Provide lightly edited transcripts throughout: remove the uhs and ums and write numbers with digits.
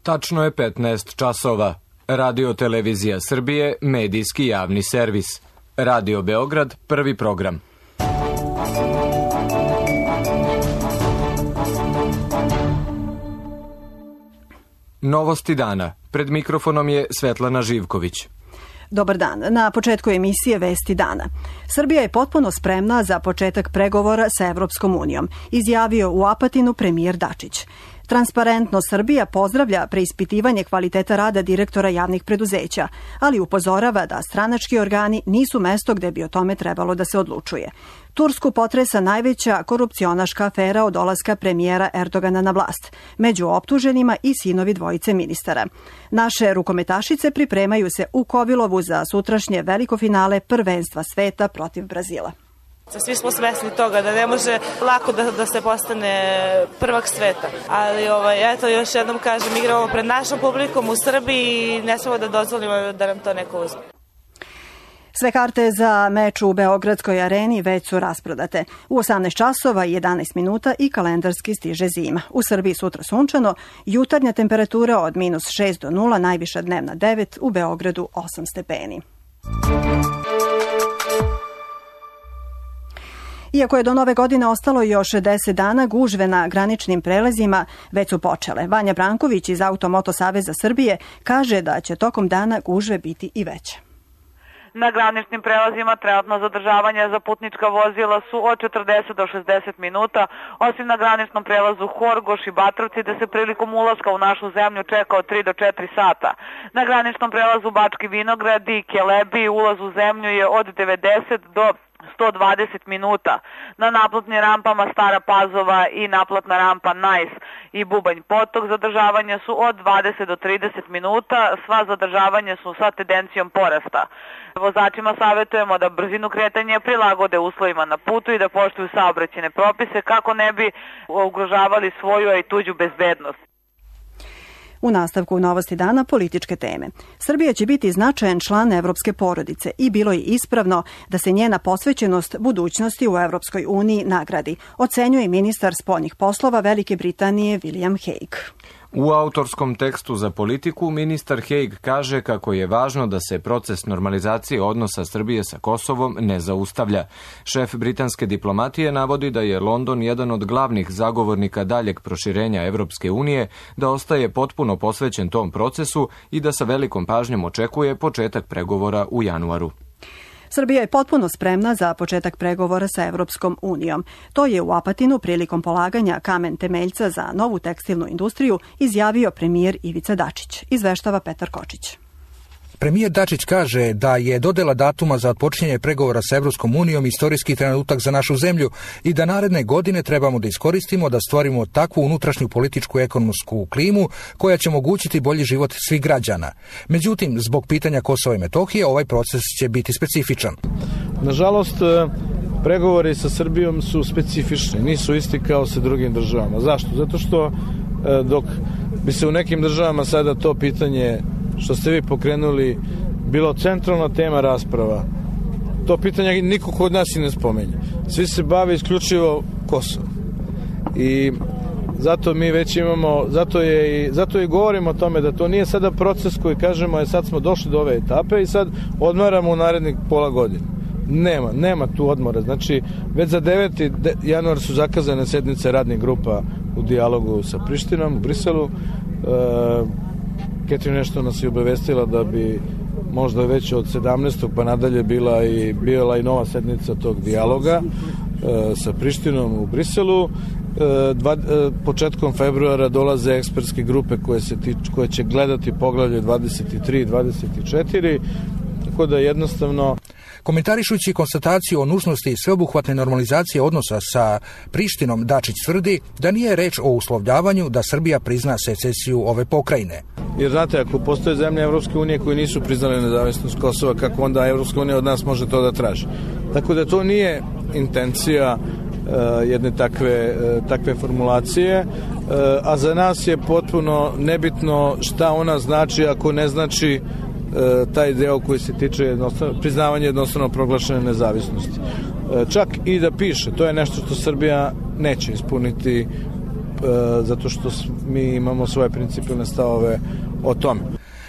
Tačno je 15 časova. Radio Televizija Srbije, medijski javni servis. Radio Beograd, prvi program. Novosti dana. Pred mikrofonom je Svetlana Živković. Dobar dan. Na početku emisije Vesti dana. Srbija je potpuno spremna za početak pregovora sa Evropskom unijom, izjavio u Apatinu premijer Dačić. Transparentno Srbija pozdravlja preispitivanje kvaliteta rada direktora javnih preduzeća, ali upozorava da stranački organi nisu mesto gde bi o tome trebalo da se odlučuje. Tursku potresa najveća korupcionaška afera od dolaska premijera Erdogana na vlast. Među optuženima i sinovi dvojice ministara. Naše rukometašice pripremaju se u Kovilovu za sutrašnje veliko finale prvenstva sveta protiv Brazila. Svi smo svesni toga da ne može lako da se postane prvak sveta. Ali eto, još jednom kažem, igramo pred našom publikom u Srbiji i ne smemo da dozvolimo da nam to neko uzme. Sve karte za meč u Beogradskoj areni već su rasprodate. U 18 časova i 11 minuta i kalendarski stiže zima. U Srbiji sutra sunčano, jutarnja temperatura od -6 do 0, najviša dnevna 9, u Beogradu 8 stepeni. Iako je do nove godine ostalo još 10 dana, gužve na graničnim prelazima već su počele. Vanja Branković iz Auto-Moto Saveza Srbije kaže da će tokom dana gužve biti i veće. Na graničnim prelazima trenutno zadržavanja za putnička vozila su od 40 do 60 minuta, osim na graničnom prelazu Horgoš i Batrovci, gde se prilikom ulaska u našu zemlju čeka od 3 do 4 sata. Na graničnom prelazu Bački Vinograd i Kelebi ulaz u zemlju je od 90 do 120 minuta. Na naplatnim rampama Stara Pazova i naplatna rampa Najs i Bubanj Potok zadržavanja su od 20 do 30 minuta, sva zadržavanja su sa tendencijom porasta. Vozačima savjetujemo da brzinu kretanja prilagode uslovima na putu i da poštuju saobraćajne propise kako ne bi ugrožavali svoju i tuđu bezbednost. U nastavku novosti dana političke teme. Srbija će biti značajan član evropske porodice i bilo je ispravno da se njena posvećenost budućnosti u Evropskoj uniji nagradi, ocenjuje ministar spoljnih poslova Velike Britanije William Hague. U autorskom tekstu za politiku ministar Hague kaže kako je važno da se proces normalizacije odnosa Srbije sa Kosovom ne zaustavlja. Šef britanske diplomatije navodi da je London jedan od glavnih zagovornika daljeg proširenja Evropske unije, da ostaje potpuno posvećen tom procesu i da sa velikom pažnjom očekuje početak pregovora u januaru. Srbija je potpuno spremna za početak pregovora sa Evropskom unijom. To je u Apatinu prilikom polaganja kamen temeljca za novu tekstilnu industriju izjavio premijer Ivica Dačić. Izveštava Petar Kočić. Premijer Dačić kaže da je dodela datuma za otpočinjanje pregovora sa Evropskom unijom istorijski trenutak za našu zemlju i da naredne godine trebamo da iskoristimo da stvorimo takvu unutrašnju političku i ekonomsku klimu koja će omogućiti bolji život svih građana. Međutim, zbog pitanja Kosova i Metohije ovaj proces će biti specifičan. Nažalost, pregovori sa Srbijom su specifični, nisu isti kao sa drugim državama. Zašto? Zato što dok bi se u nekim državama sada to pitanje što ste vi pokrenuli bilo centralna tema rasprava, to pitanje niko kod nas i ne spomenje. Svi se bave isključivo Kosovo. I zato mi već imamo, zato i govorimo o tome da to nije sada proces koji kažemo sad smo došli do ove etape i sad odmaramo u narednih pola godine. Nema tu odmora. Znači, već za 9. januar su zakazane sednice radnih grupa u dijalogu sa Prištinom u Briselu. Ketrin nešto nas je obavestila da bi možda već od 17. pa nadalje bila i nova sednica tog dijaloga sa Prištinom u Briselu. Početkom februara dolaze ekspertske grupe koje će gledati poglavlje 23 i 24, tako da jednostavno... Komentarišući konstataciju o nužnosti sveobuhvatne normalizacije odnosa sa Prištinom, Dačić tvrdi da nije reč o uslovljavanju da Srbija prizna secesiju ove pokrajine. Jer znate, ako postoje zemlje Evropske unije koje nisu priznale nezavisnost Kosova, kako onda Evropska unija od nas može to da traži? Tako da to nije intencija jedne takve formulacije, a za nas je potpuno nebitno šta ona znači ako ne znači taj deo koji se tiče priznavanja jednostavno proglašene nezavisnosti. Čak i da piše, to je nešto što Srbija neće ispuniti zato što mi imamo svoje principijelne stavove o tome.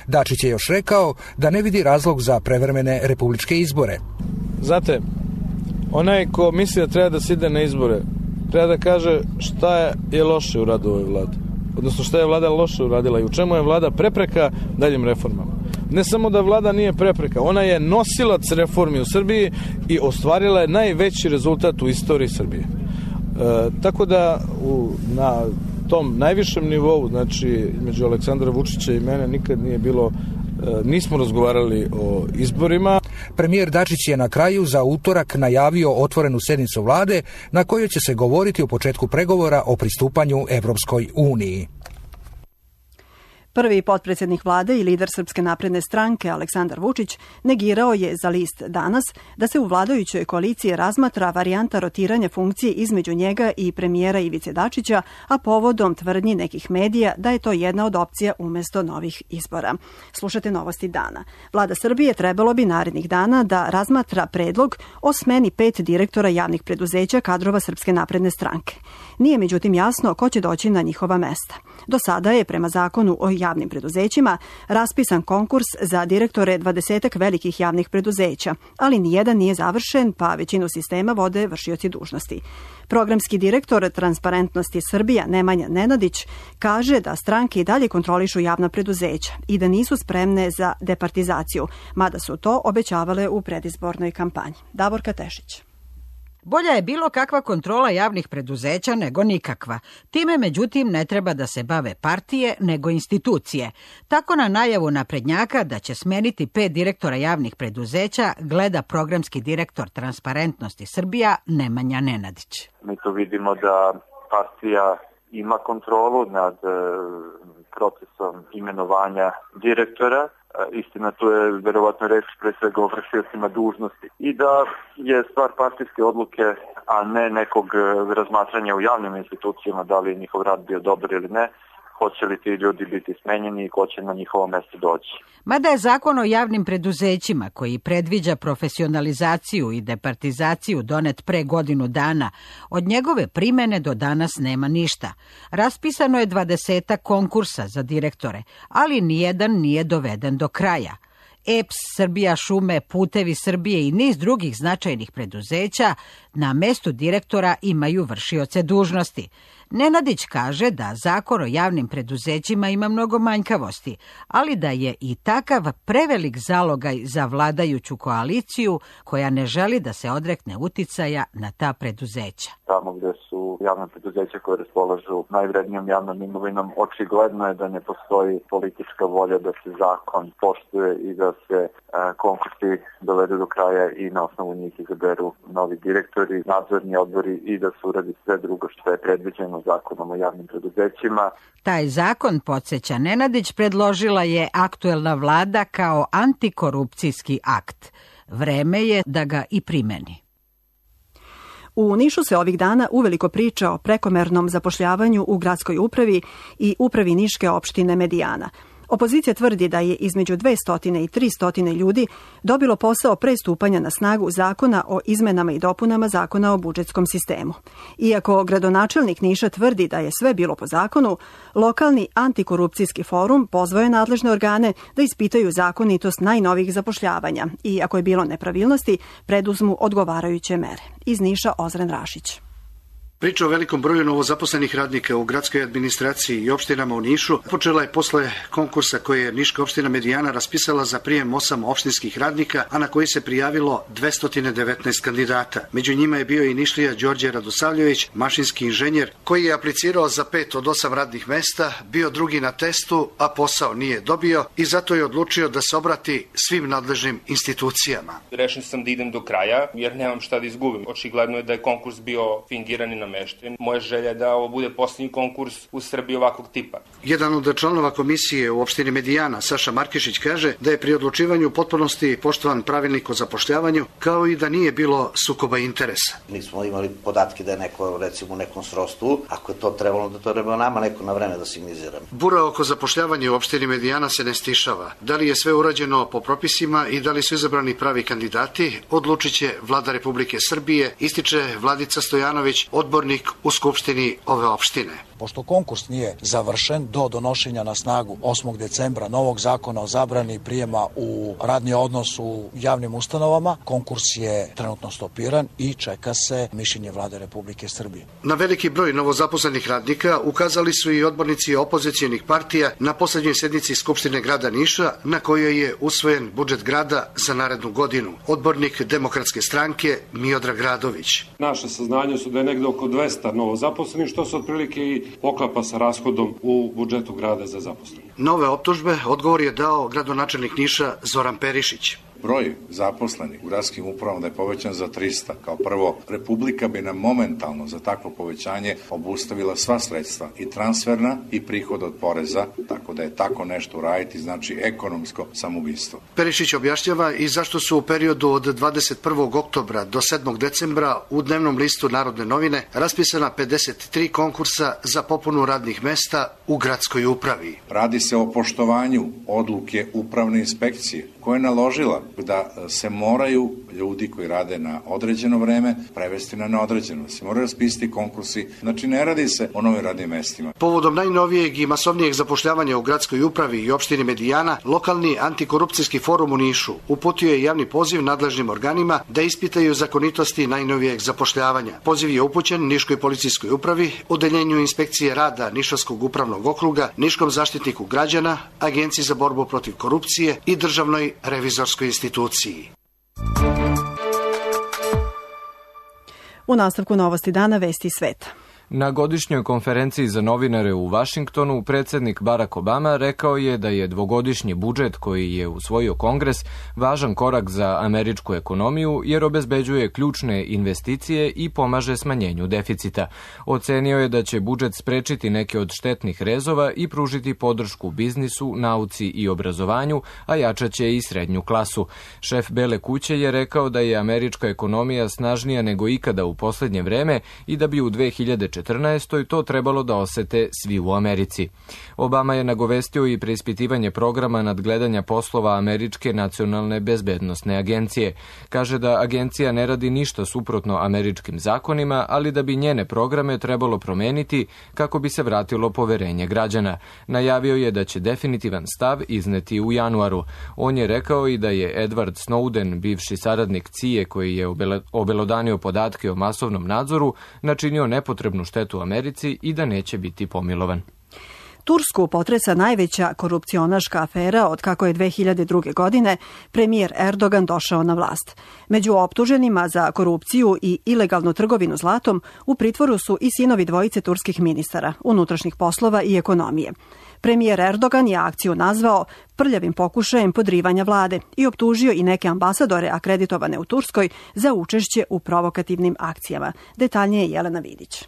Dačić je još rekao da ne vidi razlog za prevremene republičke izbore. Znate, onaj ko misli da treba da se ide na izbore, treba da kaže šta je loše u radu ovoj vladi. Odnosno šta je vlada loše uradila i u čemu je vlada prepreka daljim reformama. Ne samo da vlada nije prepreka, ona je nosilac reformi u Srbiji i ostvarila je najveći rezultat u istoriji Srbije. Tako da na tom najvišem nivou, znači između Aleksandra Vučića i mene nikad nije bilo, nismo razgovarali o izborima. Premijer Dačić je na kraju za utorak najavio otvorenu sednicu vlade na kojoj će se govoriti o početku pregovora o pristupanju Evropskoj uniji. Prvi potpredsjednik vlade i lider Srpske napredne stranke Aleksandar Vučić negirao je za list Danas da se u vladajućoj koaliciji razmatra varijanta rotiranja funkcije između njega i premijera Ivice Dačića, a povodom tvrdnji nekih medija da je to jedna od opcija umjesto novih izbora. Slušate novosti dana. Vlada Srbije trebalo bi narednih dana da razmatra predlog o smeni 5 direktora javnih preduzeća kadrova Srpske napredne stranke. Nije međutim jasno ko će doći na njihova mesta. Do sada je prema zakonu o javnim preduzećima raspisan konkurs za direktore 20 velikih javnih preduzeća, ali nijedan nije završen, pa većinu sistema vode vršioci dužnosti. Programski direktor Transparentnosti Srbija Nemanja Nenadić kaže da stranke i dalje kontrolišu javna preduzeća i da nisu spremne za departizaciju, mada su to obećavale u predizbornoj kampanji. Davorka Tešić. Bolja je bilo kakva kontrola javnih preduzeća nego nikakva. Time, međutim, ne treba da se bave partije, nego institucije. Tako na najavu naprednjaka da će smeniti 5 direktora javnih preduzeća gleda programski direktor Transparentnosti Srbija Nemanja Nenadić. Mi to vidimo da partija ima kontrolu nad procesom imenovanja direktora. Istina, tu je verovatno reč pre svega o vršiocima dužnosti. I da je stvar partijske odluke, a ne nekog razmatranja u javnim institucijama, da li je njihov rad bio dobar ili ne, hoće li ti ljudi biti smenjeni i ko će na njihovo mesto doći. Mada je zakon o javnim preduzećima, koji predviđa profesionalizaciju i departizaciju donet pre godinu dana, od njegove primene do danas nema ništa. Raspisano je 20 konkursa za direktore, ali nijedan nije doveden do kraja. EPS, Srbija šume, Putevi Srbije i niz drugih značajnih preduzeća na mestu direktora imaju vršioce dužnosti. Nenadić kaže da zakon o javnim preduzećima ima mnogo manjkavosti, ali da je i takav prevelik zalogaj za vladajuću koaliciju koja ne želi da se odrekne uticaja na ta preduzeća. Tamo gde su javna preduzeća koje raspolažu najvrednijom javnom imovinom, očigledno je da ne postoji politička volja da se zakon poštuje i da se konkursi dovedu do kraja i na osnovu njih izaberu novi direktori, nadzorni odbori i da se uradi sve drugo što je predviđeno zakonom o javnim preduzećima. Taj zakon, podsjeća Nenadić, predložila je aktuelna vlada kao antikorupcijski akt. Vreme je da ga i primeni. U Nišu se ovih dana uveliko priča o prekomernom zapošljavanju u gradskoj upravi i upravi Niške opštine Medijana. Opozicija tvrdi da je između 200 i 300 ljudi dobilo posao pre stupanja na snagu zakona o izmenama i dopunama zakona o budžetskom sistemu. Iako gradonačelnik Niša tvrdi da je sve bilo po zakonu, lokalni antikorupcijski forum pozvao je nadležne organe da ispitaju zakonitost najnovijih zapošljavanja i ako je bilo nepravilnosti, preduzmu odgovarajuće mere. Iz Niša Ozren Rašić. Priča o velikom broju novozaposlenih radnika u gradskoj administraciji i opštinama u Nišu počela je posle konkursa koje je Niška opština Medijana raspisala za prijem 8 opštinskih radnika, a na koji se prijavilo 219 kandidata. Među njima je bio i Nišlija Đorđe Radosavljević, mašinski inženjer, koji je aplicirao za 5 od 8 radnih mesta, bio drugi na testu, a posao nije dobio i zato je odlučio da se obrati svim nadležnim institucijama. Rešen sam da idem do kraja jer nemam šta da izgubim. Očigledno je da je konkurs bio fingiran i namešten. Moja želja je da ovo bude posljednji konkurs u Srbiji ovakvog tipa. Jedan od članova komisije u opštini Medijana, Saša Markešić, kaže da je pri odlučivanju u potpunosti poštovan pravilnik o zapošljavanju, kao i da nije bilo sukoba interesa. Nismo imali podatke da je neko, recimo, u nekom srodstvu. Ako je to trebalo, da to treba nama neko na vreme da signaliziramo. Bura oko zapošljavanja u opštini Medijana se ne stišava. Da li je sve urađeno po propisima i da li su izabrani pravi kandidati, odlučit će Vlada Republike Srbije, ističe Vladica Stojanović, odbornik u Skupštini ove opštine. pošto konkurs nije završen do donošenja na snagu 8. decembra novog zakona o zabrani prijema u radni odnos u javnim ustanovama, konkurs je trenutno stopiran i čeka se mišljenje Vlade Republike Srbije. Na veliki broj novozaposlenih radnika ukazali su i odbornici opozicionih partija na poslednjoj sednici Skupštine grada Niša, na kojoj je usvojen budžet grada za narednu godinu. Odbornik Demokratske stranke Miodrag Radović. Naše saznanje su da je negde oko 200 novozaposlenih, što se otprilike i poklapa sa rashodom u budžetu grada za zaposlene. Nove optužbe odgovor je dao gradonačelnik Niša Zoran Perišić. Broj zaposlenih u gradskim upravama da je povećan za 300. Kao prvo, Republika bi nam momentalno za takvo povećanje obustavila sva sredstva, i transferna i prihod od poreza, tako da je tako nešto uraditi znači ekonomsko samoubistvo. Perišić objašnjava i zašto su u periodu od 21. oktobra do 7. decembra u dnevnom listu Narodne novine raspisana 53 konkursa za popunu radnih mesta u gradskoj upravi. Radi se o poštovanju odluke upravne inspekcije koja je naložila da se moraju ljudi koji rade na određeno vreme prevesti na neodređeno. Se moraju raspisati konkursi, znači ne radi se o novim radnim mestima. Povodom najnovijeg i masovnijeg zapošljavanja u gradskoj upravi i opštini Medijana, lokalni antikorupcijski forum u Nišu uputio je javni poziv nadležnim organima da ispitaju zakonitosti najnovijeg zapošljavanja. Poziv je upućen Niškoj policijskoj upravi, Odeljenju inspekcije rada Nišavskog upravnog okruga, Niškom zaštitniku građana, Agenciji za borbu protiv korupcije i Državnoj revizorskoj instituciji. U nastavku novosti dana vesti sveta. Na godišnjoj konferenciji za novinare u Vašingtonu predsjednik Barack Obama rekao je da je dvogodišnji budžet koji je usvojio Kongres važan korak za američku ekonomiju jer obezbeđuje ključne investicije i pomaže smanjenju deficita. Ocenio je da će budžet sprečiti neke od štetnih rezova i pružiti podršku biznisu, nauci i obrazovanju, a jačaće i srednju klasu. Šef Bele kuće je rekao da je američka ekonomija snažnija nego ikada u poslednje vreme i da bi u 2014. to trebalo da osete svi u Americi. Obama je nagovestio i preispitivanje programa nadgledanja poslova Američke nacionalne bezbednosne agencije. Kaže da agencija ne radi ništa suprotno američkim zakonima, ali da bi njene programe trebalo promeniti kako bi se vratilo poverenje građana. Najavio je da će definitivan stav izneti u januaru. On je rekao i da je Edward Snowden, bivši saradnik CIA koji je obelodanio podatke o masovnom nadzoru, načinio nepotrebnu štetu Americi i da neće biti pomilovan. Tursku potresa najveća korupcionaška afera od kako je 2002. godine premijer Erdogan došao na vlast. Među optuženima za korupciju i ilegalnu trgovinu zlatom u pritvoru su i sinovi dvojice turskih ministara, unutrašnjih poslova i ekonomije. Premijer Erdogan je akciju nazvao prljavim pokušajem podrivanja vlade i optužio i neke ambasadore akreditovane u Turskoj za učešće u provokativnim akcijama. Detaljnije Jelena Vidić.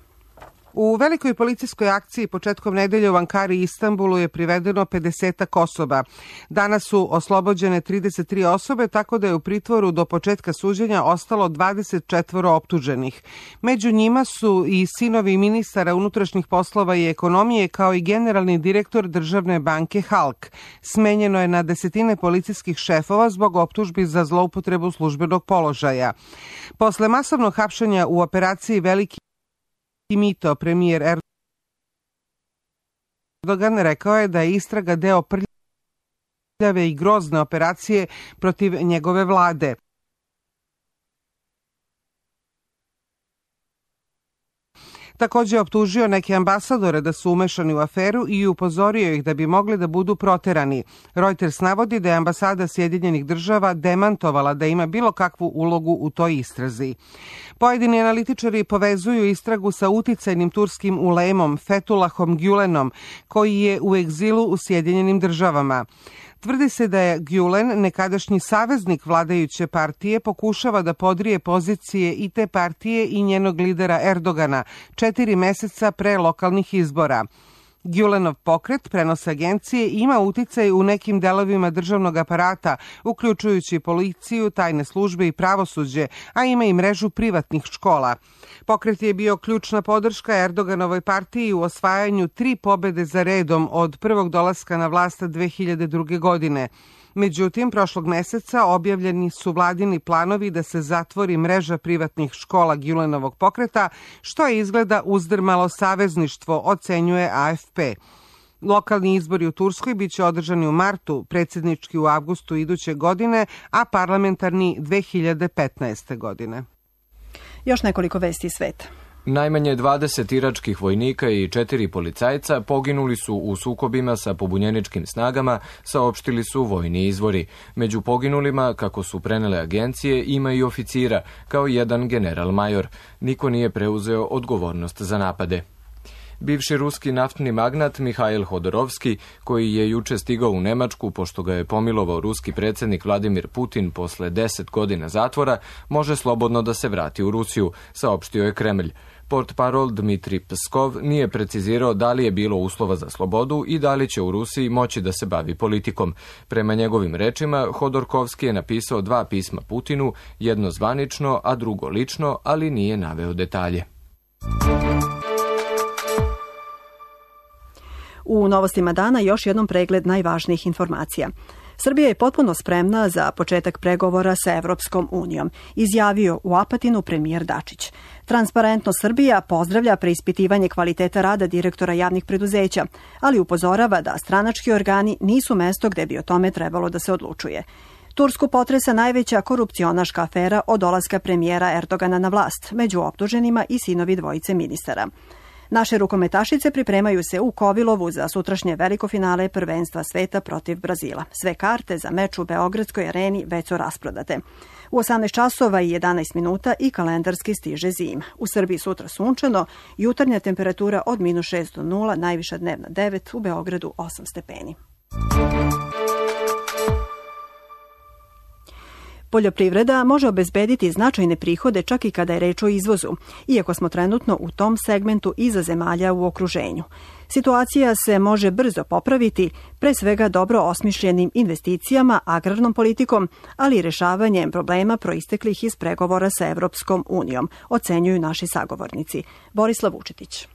U velikoj policijskoj akciji početkom nedelje u Ankari i Istanbulu je privedeno 50 osoba. Danas su oslobođene 33 osobe, tako da je u pritvoru do početka suđenja ostalo 24 optuženih. Među njima su i sinovi ministara unutrašnjih poslova i ekonomije, kao i generalni direktor državne banke Halk. Smenjeno je na desetine policijskih šefova zbog optužbi za zloupotrebu službenog položaja. Posle masovnog hapšenja u operaciji Veliki mito, premijer Erdogan rekao je da je istraga deo prljave i grozne operacije protiv njegove vlade. Također je optužio neke ambasadore da su umešani u aferu i upozorio ih da bi mogli da budu proterani. Reuters navodi da je ambasada Sjedinjenih država demantovala da ima bilo kakvu ulogu u toj istrazi. Pojedini analitičari povezuju istragu sa uticajnim turskim ulemom Fethullahom Gülenom, koji je u egzilu u Sjedinjenim državama. Tvrdi se da je Gülen, nekadašnji saveznik vladajuće partije, pokušava da podrije pozicije i te partije i njenog lidera Erdogana 4 meseca pre lokalnih izbora. Gülenov pokret, prenose agencije, ima uticaj u nekim delovima državnog aparata, uključujući policiju, tajne službe i pravosuđe, a ima i mrežu privatnih škola. Pokret je bio ključna podrška Erdoganovoj partiji u osvajanju 3 pobede za redom od prvog dolaska na vlast 2002. godine. Međutim, prošlog meseca objavljeni su vladini planovi da se zatvori mreža privatnih škola Gülenovog pokreta, što je izgleda uzdrmalo savezništvo, ocenjuje AFP. Lokalni izbori u Turskoj biće održani u martu, predsjednički u avgustu iduće godine, a parlamentarni 2015. godine. Još nekoliko vesti iz sveta. Najmanje 20 iračkih vojnika i 4 policajca poginuli su u sukobima sa pobunjeničkim snagama, saopštili su vojni izvori. Među poginulima, kako su prenele agencije, ima i oficira, kao jedan general-major. Niko nije preuzeo odgovornost za napade. Bivši ruski naftni magnat Mihail Hodorovski, koji je juče stigao u Nemačku pošto ga je pomilovao ruski predsjednik Vladimir Putin posle 10 godina zatvora, može slobodno da se vrati u Rusiju, saopštio je Kremlj. Portparol Dmitri Pskov nije precizirao da li je bilo uslova za slobodu i da li će u Rusiji moći da se bavi politikom. Prema njegovim rečima, Hodorkovski je napisao 2 pisma Putinu, jedno zvanično, a drugo lično, ali nije naveo detalje. U novostima dana još jednom pregled najvažnijih informacija. Srbija je potpuno spremna za početak pregovora sa Evropskom unijom, izjavio u Apatinu premijer Dačić. Transparentno Srbija pozdravlja preispitivanje kvaliteta rada direktora javnih preduzeća, ali upozorava da stranački organi nisu mesto gde bi o tome trebalo da se odlučuje. Tursku potresa najveća korupcionaška afera od dolaska premijera Erdogana na vlast, među optuženima i sinovi dvojice ministara. Naše rukometašice pripremaju se u Kovilovu za sutrašnje veliko finale prvenstva sveta protiv Brazila. Sve karte za meč u Beogradskoj areni već su rasprodate. U 18 časova i 11 minuta i kalendarski stiže zima. U Srbiji sutra sunčano, jutarnja temperatura od -6 do 0, najviša dnevna 9, u Beogradu 8 stepeni. Poljoprivreda može obezbediti značajne prihode čak i kada je reč o izvozu, iako smo trenutno u tom segmentu iza zemalja u okruženju. Situacija se može brzo popraviti, pre svega dobro osmišljenim investicijama, agrarnom politikom, ali i rešavanjem problema proisteklih iz pregovora sa Evropskom unijom, ocenjuju naši sagovornici. Borislav Vučetić.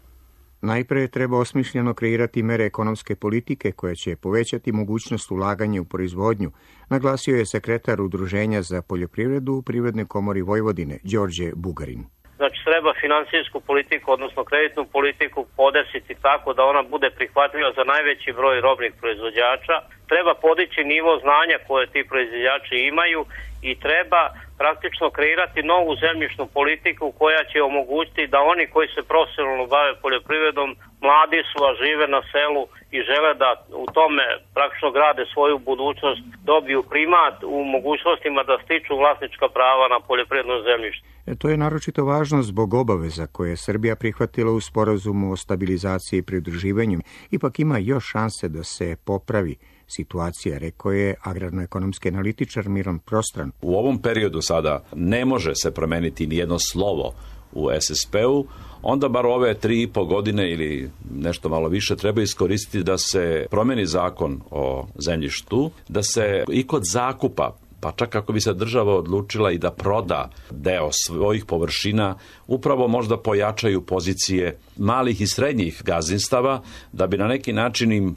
Najpre treba osmišljeno kreirati mere ekonomske politike koje će povećati mogućnost ulaganja u proizvodnju, naglasio je sekretar Udruženja za poljoprivredu u Privrednoj komori Vojvodine, Đorđe Bugarin. Znači, treba finansijsku politiku, odnosno kreditnu politiku podesiti tako da ona bude prihvatljiva za najveći broj robnih proizvođača. Treba podići nivo znanja koje ti proizvođači imaju i treba praktično kreirati novu zemljišnu politiku koja će omogućiti da oni koji se profesionalno bave poljoprivredom, mladi su, a žive na selu i žele da u tome praktično grade svoju budućnost, dobiju primat u mogućnostima da stiču vlasnička prava na poljoprivredno zemljište. To je naročito važno zbog obaveza koje je Srbija prihvatila u sporazumu o stabilizaciji i pridruživanju. Ipak ima još šanse da se popravi situacija, rekao je agrarno-ekonomski analitičar Miron Prostran. U ovom periodu sada ne može se promeniti ni jedno slovo u SSP-u, onda bar ove 3,5 godine ili nešto malo više treba iskoristiti da se promeni zakon o zemljištu, da se i kod zakupa, pa čak ako bi se država odlučila i da proda deo svojih površina, upravo možda pojačaju pozicije malih i srednjih gazdinstava, da bi na neki način im,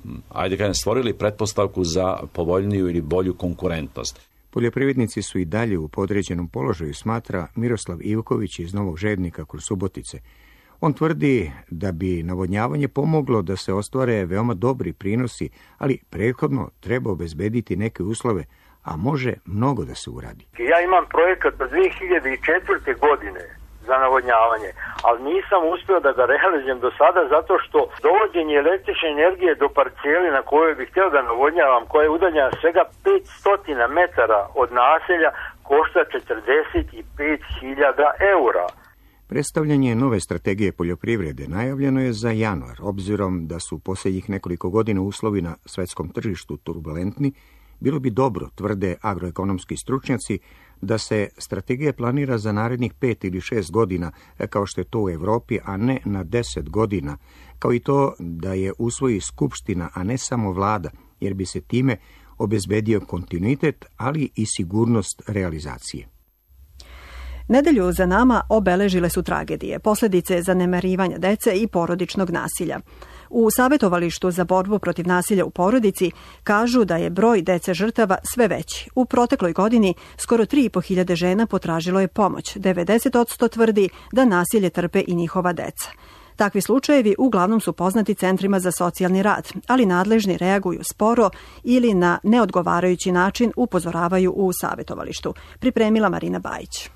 stvorili pretpostavku za povoljniju ili bolju konkurentnost. Poljoprivrednici su i dalje u podređenom položaju, smatra Miroslav Ivković iz Novog Žednika kod Subotice. On tvrdi da bi navodnjavanje pomoglo da se ostvare veoma dobri prinosi, ali prethodno treba obezbediti neke uslove, a može mnogo da se uradi. Ja imam projekat od 2004. godine za navodnjavanje, ali nisam uspio da ga realizujem do sada zato što dovođenje električne energije do parceli na kojoj bih htio da navodnjavam, koja je udaljena svega 500 metara od naselja, košta 45.000 eura. Predstavljanje nove strategije poljoprivrede najavljeno je za januar, obzirom da su posljednjih nekoliko godina uslovi na svetskom tržištu turbulentni. Bilo bi dobro, tvrde agroekonomski stručnjaci, da se strategija planira za narednih 5 ili 6 godina, kao što je to u Evropi, a ne na 10 godina, kao i to da je usvoji Skupština, a ne samo vlada, jer bi se time obezbedio kontinuitet, ali i sigurnost realizacije. Nedelju za nama obeležile su tragedije, posljedice zanemarivanja dece i porodičnog nasilja. U Savetovalištu za borbu protiv nasilja u porodici kažu da je broj dece žrtava sve veći. U protekloj godini skoro 3.500 žena potražilo je pomoć. 90% tvrdi da nasilje trpe i njihova deca. Takvi slučajevi uglavnom su poznati centrima za socijalni rad, ali nadležni reaguju sporo ili na neodgovarajući način upozoravaju u Savetovalištu. Pripremila Marina Bajić.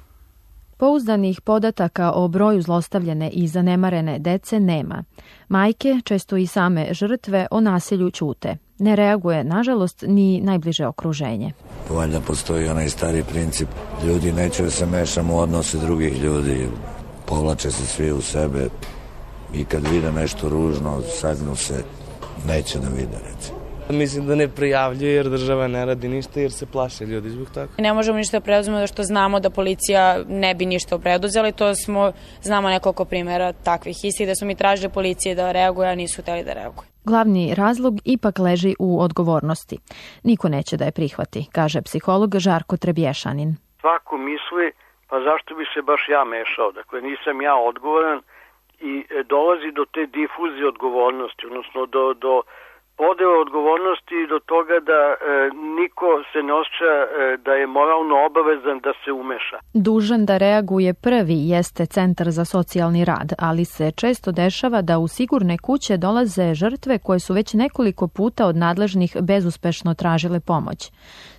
Pouzdanih podataka o broju zlostavljene i zanemarene dece nema. Majke, često i same žrtve, o nasilju ćute. Ne reaguje, nažalost, ni najbliže okruženje. Valjda postoji onaj stari princip. Ljudi neće da se mešamo u odnose drugih ljudi. Povlače se svi u sebe i kad vide nešto ružno, sagnu se, neće da vide, recimo. Mislim da ne prijavljuje jer država ne radi ništa jer se plaše ljudi zbog toga. Ne možemo ništa preduzeti što znamo da policija ne bi ništa preduzela i to znamo nekoliko primjera takvih istih da smo mi tražili policije da reaguje, a nisu hteli da reaguje. Glavni razlog ipak leži u odgovornosti. Niko neće da je prihvati, kaže psiholog Žarko Trebješanin. Svako misli, pa zašto bi se baš ja mešao? Dakle, nisam ja odgovoran i dolazi do te difuzije odgovornosti, odnosno do podele odgovornosti i do toga da niko se ne osjeća da je moralno obavezan da se umeša. Dužan da reaguje prvi jeste Centar za socijalni rad, ali se često dešava da u sigurne kuće dolaze žrtve koje su već nekoliko puta od nadležnih bezuspešno tražile pomoć,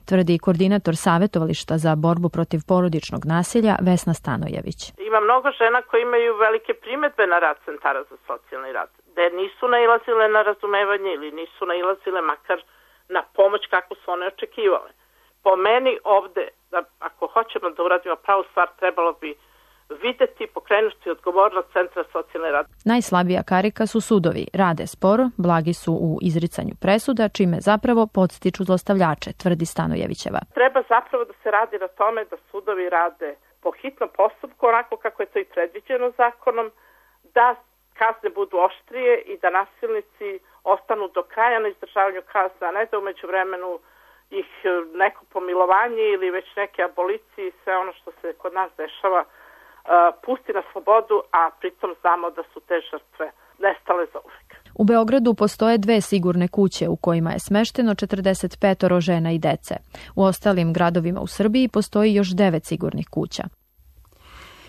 tvrdi koordinator Savetovališta za borbu protiv porodičnog nasilja Vesna Stanojević. Ima mnogo žena koje imaju velike primedbe na rad centara za socijalni rad, da nisu nailazile na razumevanje ili nisu nailazile makar na pomoć kako su one očekivale. Po meni ovde, da ako hoćemo da uradimo pravu stvar, trebalo bi videti, pokrenuti odgovornost centra socijalne rad. Najslabija karika su sudovi. Rade sporo, blagi su u izricanju presuda, čime zapravo podstiču zlostavljače, tvrdi Stanojevićeva. Treba zapravo da se radi na tome da sudovi rade po hitnom postupku, onako kako je to i predviđeno zakonom, da kazne budu oštrije i da nasilnici ostanu do kraja na izdržavanju kazne, a ne da umeđu vremenu ih neko pomilovanje ili već neke abolicije i sve ono što se kod nas dešava pusti na slobodu, a pritom znamo da su te žrtve nestale za uvek. U Beogradu postoje 2 sigurne kuće u kojima je smešteno 45 žena i dece. U ostalim gradovima u Srbiji postoji još 9 sigurnih kuća.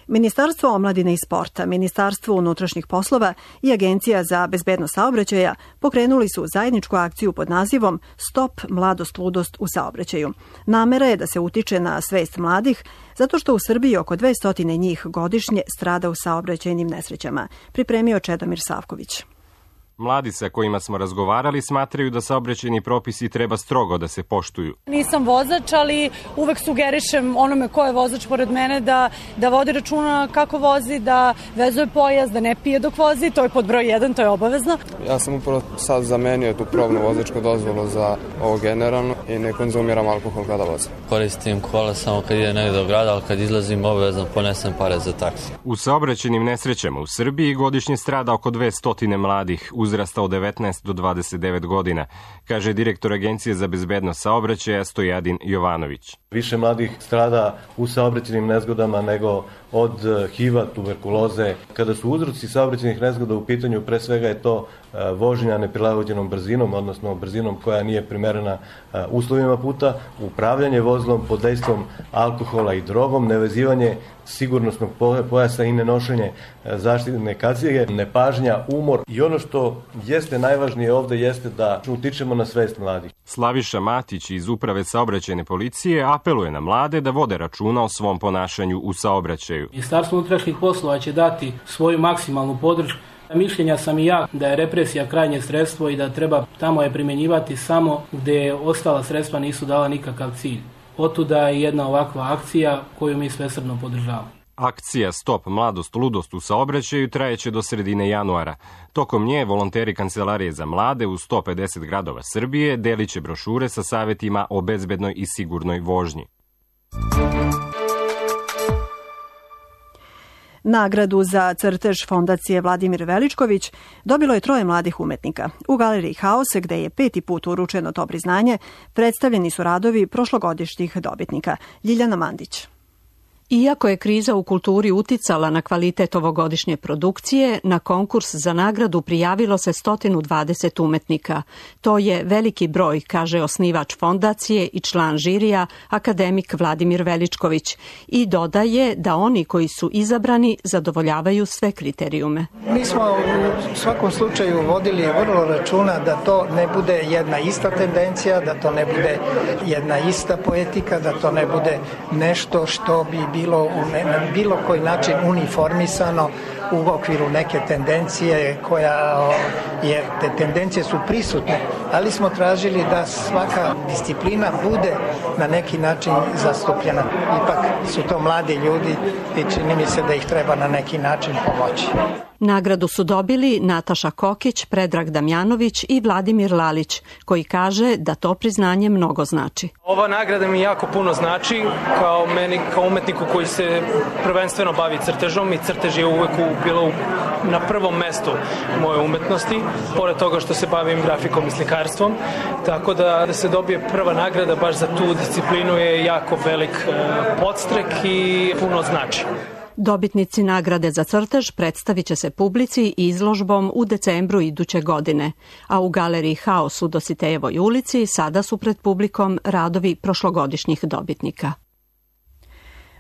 Ministarstvo omladine i sporta, Ministarstvo unutrašnjih poslova i Agencija za bezbednost saobraćaja pokrenuli su zajedničku akciju pod nazivom Stop mladost ludost u saobraćaju. Namera je da se utiče na svest mladih, zato što u Srbiji oko 200 njih godišnje strada u saobraćajnim nesrećama, pripremio Čedomir Savković. Mladi sa kojima smo razgovarali smatraju da saobraćajni propisi treba strogo da se poštuju. Nisam vozač, ali uvek sugerišem onome ko je vozač pored mene da vodi računa kako vozi, da vezuje pojas, da ne pije dok vozi, to je pod broj 1, to je obavezno. Ja sam upravo sad zamenio tu probnu vozačku dozvolu za ovo generalno i ne konzumiram alkohol kada vozim. Koristim kola samo kad idem negdje do grada, ali kad izlazim obavezno ponesem pare za taksi. U saobraćajnim nesrećama u Srbiji godišnje strada oko 200 mladih uzrasta od 19 do 29 godina, kaže direktor Agencije za bezbednost saobraćaja Stojadin Jovanović. Više mladih strada u saobraćajnim nezgodama nego od HIV-a, tuberkuloze. Kada su uzroci saobraćajnih nezgoda u pitanju, pre svega je to vožnja neprilagođenom brzinom, odnosno brzinom koja nije primerena uslovima puta, upravljanje vozilom pod dejstvom alkohola i drogom, nevezivanje sigurnosnog pojasa i nenošenje zaštitne kacige, nepažnja, umor. I ono što jeste najvažnije ovde jeste da utičemo na svest mladih. Slaviša Matić iz Uprave saobraćajne policije apeluje na mlade da vode računa o svom ponašanju u saobraćaju. Ministarstvo unutrašnjih poslova će dati svoju maksimalnu podršku. Mišljenja sam i ja da je represija krajnje sredstvo i da treba tamo je primjenjivati samo gde ostala sredstva nisu dala nikakav cilj. Otuda je jedna ovakva akcija koju mi svesrdno podržavamo. Akcija Stop mladost ludost u saobraćaju trajeće do sredine januara. Tokom nje volonteri Kancelarije za mlade u 150 gradova Srbije deliće brošure sa savjetima o bezbednoj i sigurnoj vožnji. Nagradu za crtež fondacije Vladimir Veličković dobilo je 3 mladih umetnika. U galeriji Haos, gde je 5. put uručeno to priznanje, predstavljeni su radovi prošlogodišnjih dobitnika. Ljiljana Mandić. Iako je kriza u kulturi uticala na kvalitet ovogodišnje produkcije, na konkurs za nagradu prijavilo se 120 umetnika. To je veliki broj, kaže osnivač fondacije i član žirija, akademik Vladimir Veličković, i dodaje da oni koji su izabrani zadovoljavaju sve kriterijume. Mi smo u svakom slučaju vodili vrlo računa da to ne bude jedna ista tendencija, da to ne bude jedna ista poetika, da to ne bude nešto što bi bilo na bilo koji način uniformisano u okviru neke tendencije jer te tendencije su prisutne, ali smo tražili da svaka disciplina bude na neki način zastupljena. Ipak su to mladi ljudi i čini mi se da ih treba na neki način pomoći. Nagradu su dobili Nataša Kokić, Predrag Damjanović i Vladimir Lalić, koji kaže da to priznanje mnogo znači. Ova nagrada mi jako puno znači, kao meni, kao umetniku koji se prvenstveno bavi crtežom, i crtež je uvek bilo na prvom mestu moje umetnosti, pored toga što se bavim grafikom i slikarstvom, tako da se dobije prva nagrada baš za tu disciplinu je jako velik podstrek i puno znači. Dobitnici nagrade za crtež predstavit će se publici izložbom u decembru iduće godine, a u galeriji Haos u Dositejevoj ulici sada su pred publikom radovi prošlogodišnjih dobitnika.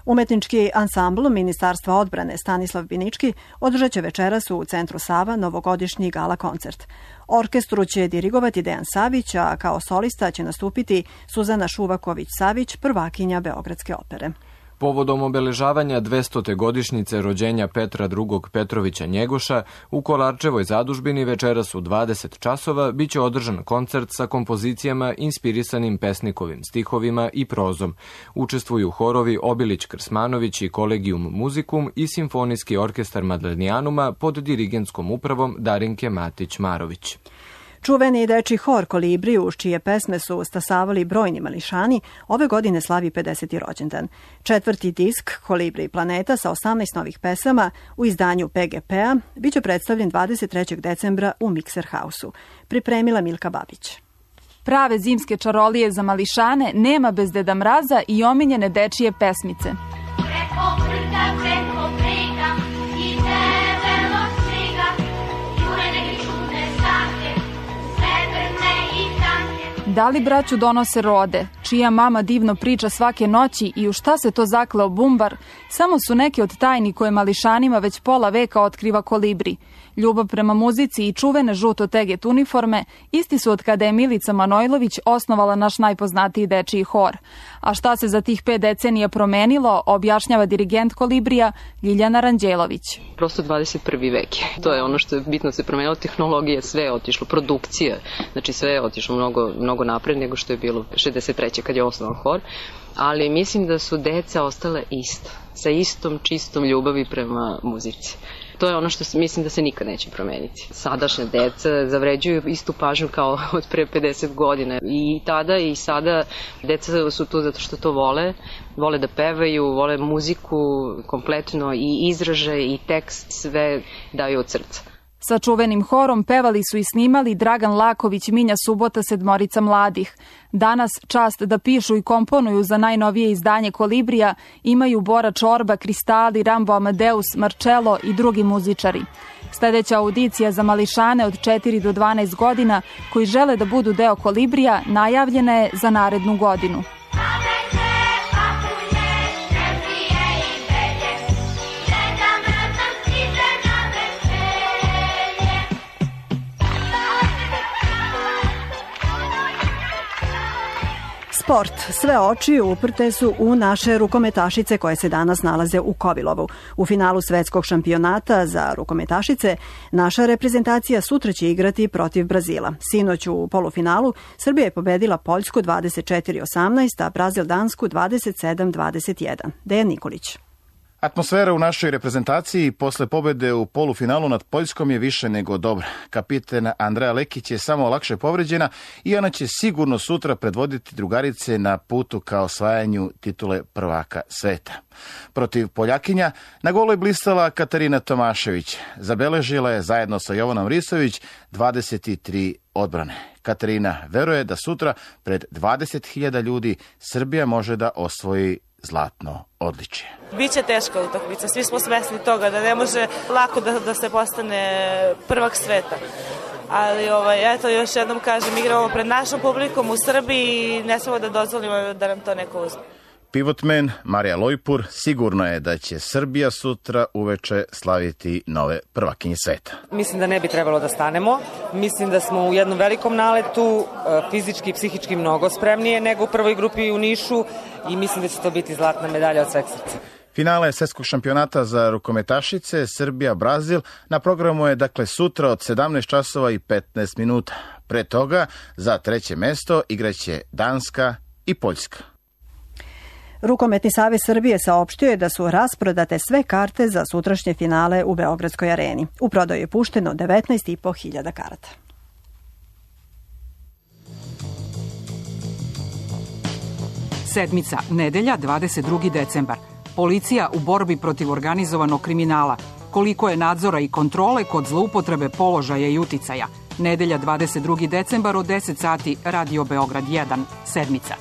Umetnički ansambl Ministarstva odbrane Stanislav Binički održat će večeras u Centru Sava novogodišnji gala koncert. Orkestru će dirigovati Dejan Savić, a kao solista će nastupiti Suzana Šuvaković-Savić, prvakinja Beogradske opere. Povodom obeležavanja 200. godišnjice rođenja Petra II. Petrovića Njegoša u Kolarčevoj zadužbini večeras u 20 časova biće održan koncert sa kompozicijama inspirisanim pesnikovim stihovima i prozom. Učestvuju horovi Obilić Krsmanović i Kolegium Muzikum i Simfonijski orkestar Madlenijanuma pod dirigentskom upravom Darinke Matić-Marović. Čuveni dečiji hor Kolibri, uz čije pesme su stasavali brojni mališani, ove godine slavi 50. rođendan. 4. disk Kolibri planeta sa 18 novih pesama u izdanju PGP-a biće predstavljen 23. decembra u Mikser Hausu. Pripremila Milka Babić. Prave zimske čarolije za mališane nema bez Deda Mraza i omiljene dečije pesmice. Da li braću donose rode, čija mama divno priča svake noći i u šta se to zakleo bumbar, samo su neke od tajni koje mališanima već pola veka otkriva Kolibri. Ljubav prema muzici i čuvene žuto teget uniforme isti su od kada je Milica Manojlović osnovala naš najpoznatiji dečiji hor. A šta se za tih 5 decenija promenilo, objašnjava dirigent Kolibrija Ljiljana Ranđelović. Prosto 21. vek. To je ono što je bitno se promenilo, tehnologija, sve je otišlo, produkcija, znači sve je otišlo mnogo napred nego što je bilo 63. kad je osnovan hor, ali mislim da su deca ostale ista, sa istom čistom ljubavi prema muzici. To je ono što mislim da se nikad neće promeniti. Sadašnja deca zavređuju istu pažnju kao od pre 50 godina. I tada i sada deca su tu zato što to vole da pevaju, vole muziku kompletno i izražaj i tekst, sve daju od srca. Sa čuvenim horom pevali su i snimali Dragan Laković, Minja Subota, 7 mladih. Danas čast da pišu i komponuju za najnovije izdanje Kolibrija imaju Bora Čorba, Kristali, Rambo Amadeus, Marcello i drugi muzičari. Sledeća audicija za mališane od 4 do 12 godina koji žele da budu deo Kolibrija najavljena je za narednu godinu. Sport. Sve oči uprte su u naše rukometašice koje se danas nalaze u Kovilovu. U finalu svetskog šampionata za rukometašice naša reprezentacija sutra će igrati protiv Brazila. Sinoć u polufinalu Srbija je pobedila Poljsku 24-18, a Brazil Dansku 27-21. Dejan Nikolić. Atmosfera u našoj reprezentaciji posle pobede u polufinalu nad Poljskom je više nego dobra. Kapiten Andreja Lekić je samo lakše povređena i ona će sigurno sutra predvoditi drugarice na putu ka osvajanju titule prvaka sveta. Protiv Poljakinja na golu je blistala Katarina Tomašević. Zabeležila je zajedno sa Jovanom Risović 23 odbrane. Katarina veruje da sutra pred 20.000 ljudi Srbija može da osvoji zlatno odličje. Biće teška utakmica, svi smo svesni toga da ne može lako da se postane prvak sveta. Ali eto, još jednom kažem, igramo pred našom publikom u Srbiji i ne smemo da dozvolimo da nam to neko uzme. Pivotmen Marija Lojpur sigurno je da će Srbija sutra uveče slaviti nove prvakinje sveta. Mislim da ne bi trebalo da stanemo. Mislim da smo u jednom velikom naletu, fizički i psihički mnogo spremnije nego u prvoj grupi u Nišu i mislim da će to biti zlatna medalja od sveg srca. Finale svjetskog šampionata za rukometašice Srbija-Brazil na programu je dakle sutra od 17 časova i 15 minuta. Pre toga za treće mesto igraće Danska i Poljska. Rukometni savez Srbije saopštio je da su rasprodate sve karte za sutrašnje finale u Beogradskoj areni. U prodaju je pušteno 19.500 karata. Sedmica, nedelja, 22. decembar. Policija u borbi protiv organizovanog kriminala. Koliko je nadzora i kontrole kod zloupotrebe položaja i uticaja. Nedelja, 22. decembar od 10 sati, Radio Beograd 1, sedmica.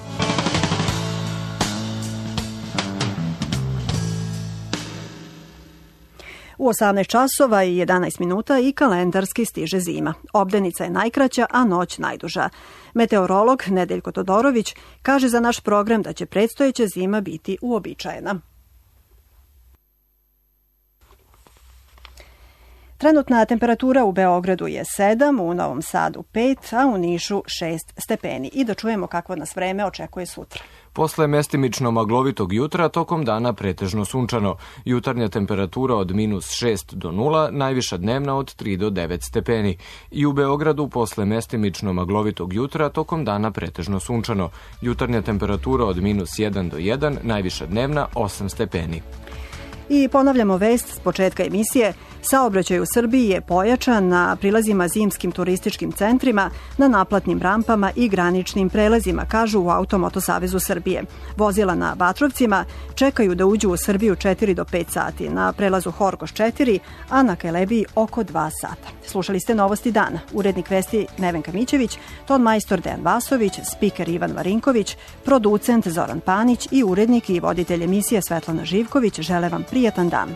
U 18 časova i 11 minuta i kalendarski stiže zima. Obdenica je najkraća, a noć najduža. Meteorolog Nedeljko Todorović kaže za naš program da će predstojeća zima biti uobičajena. Trenutna temperatura u Beogradu je 7, u Novom Sadu 5, a u Nišu 6 stepeni. I da čujemo kakvo nas vreme očekuje sutra. Posle mestimično maglovitog jutra, tokom dana pretežno sunčano. Jutarnja temperatura od -6 do 0, najviša dnevna od 3 do 9 stepeni. I u Beogradu posle mestimično maglovitog jutra, tokom dana pretežno sunčano. Jutarnja temperatura od -1 do 1, najviša dnevna 8 stepeni. I ponavljamo vest s početka emisije. Saobraćaj u Srbiji je pojačan na prilazima zimskim turističkim centrima, na naplatnim rampama i graničnim prelazima, kažu u Automoto savezu Srbije. Vozila na Batrovcima čekaju da uđu u Srbiju 4 do 5 sati, na prelazu Horgoš 4, a na Kelebiji oko 2 sata. Slušali ste Novosti dana. Urednik vesti Nevenka Mićević, ton majstor Dejan Vasović, spiker Ivan Marinković, producent Zoran Panić i urednik i voditelj emisije Svetlana Živković žele vam prijatan dan.